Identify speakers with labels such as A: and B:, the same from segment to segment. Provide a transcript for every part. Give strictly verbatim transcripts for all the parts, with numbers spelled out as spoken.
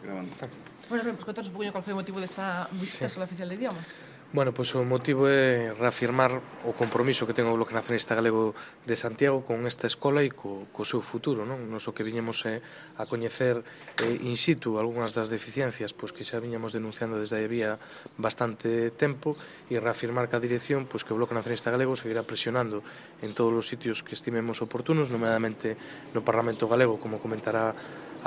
A: Grabando.
B: Bueno, Rubén, pues contanos un poquinho cal foi o motivo desta visita á Escola Oficial de Idiomas.
C: Bueno, pois o motivo é reafirmar o compromiso que ten o Bloque Nacionalista Galego de Santiago con esta escola e co, co seu futuro, non? Nos o que viñemos é a coñecer eh, in situ algunhas das deficiencias pois que xa viñamos denunciando desde aí había bastante tempo e reafirmar que a dirección pois que o Bloque Nacionalista Galego seguirá presionando en todos os sitios que estimemos oportunos, nomeadamente no Parlamento Galego, como comentará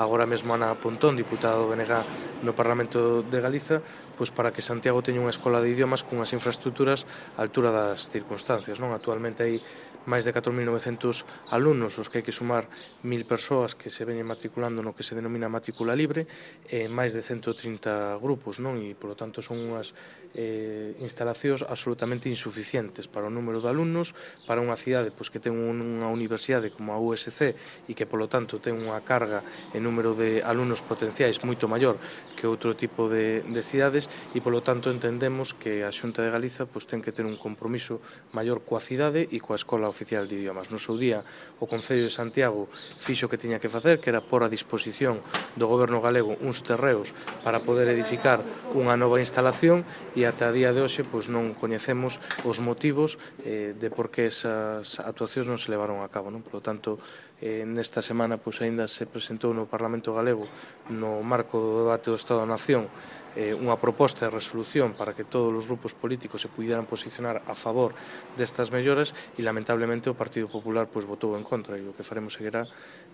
C: agora mesmo Ana Pontón, diputada do B N G no Parlamento de Galiza, pois para que Santiago teña unha escola de idiomas cunhas infraestructuras á altura das circunstancias, non? Actualmente hai máis de catro mil novecentos alumnos, os que hai que sumar mil persoas que se veñen matriculando no que se denomina matrícula libre, e máis de ciento trinta grupos, non? E, polo tanto, son unhas eh, instalacións absolutamente insuficientes para o número de alumnos, para unha cidade pois, que ten unha universidade como a U S C e que, polo tanto, ten unha carga en número de alumnos potenciais moito maior que outro tipo de, de cidades e, polo tanto, entendemos que a Xunta de Galiza pois, ten que ter un compromiso maior coa cidade e coa Escola Oficial de Idiomas. No seu día, o Concello de Santiago fixo o que tiña que facer, que era pôr a disposición do Goberno galego uns terreos para poder edificar unha nova instalación e ata a día de hoxe pois, non coñecemos os motivos eh, de por que esas actuacións non se levaron a cabo. Non? Por lo tanto, eh, nesta semana pois, ainda se presentou no Parlamento Galego no marco do debate do Estado da Nación eh, unha proposta de resolución para que todos os grupos políticos se pudieran posicionar a favor destas melloras e lamentablemente o Partido Popular pois, votou en contra e o que faremos seguirá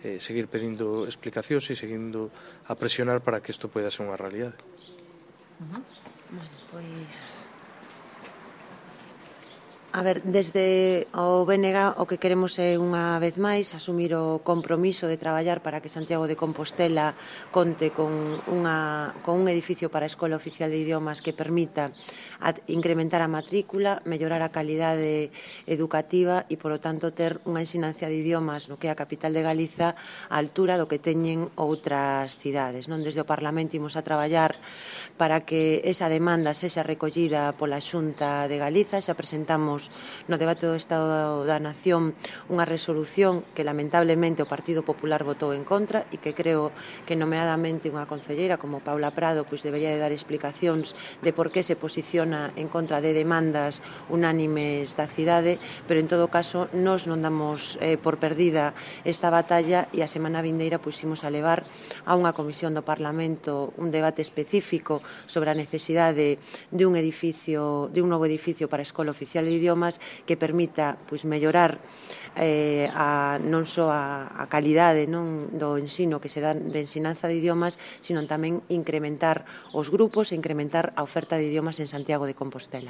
C: eh, seguir pedindo explicacións e seguindo a presionar para que isto poida ser unha realidade.
D: Uh -huh. Bueno, pois... A ver, desde o B N G o que queremos é unha vez máis asumir o compromiso de traballar para que Santiago de Compostela conte con, unha, con un edificio para a Escola Oficial de Idiomas que permita a, incrementar a matrícula, mellorar a calidade educativa e, polo tanto, ter unha ensinanza de idiomas no que é a capital de Galiza á altura do que teñen outras cidades. Non? Desde o Parlamento imos a traballar para que esa demanda sexa recollida pola Xunta de Galiza. Xa presentamos no debate do Estado da Nación unha resolución que lamentablemente o Partido Popular votou en contra e que creo que nomeadamente unha concelleira como Paula Prado pois debería de dar explicacións de por que se posiciona en contra de demandas unánimes da cidade, pero en todo caso nós non damos eh, por perdida esta batalla e a semana vindeira pois imos a levar a unha comisión do Parlamento un debate específico sobre a necesidade de un edificio, de un novo edificio para a Escola Oficial de Idiomas que permita pois, mellorar eh, a, non só a, a calidade non, do ensino que se dá de ensinanza de idiomas, sino tamén incrementar os grupos e incrementar a oferta de idiomas en Santiago de Compostela.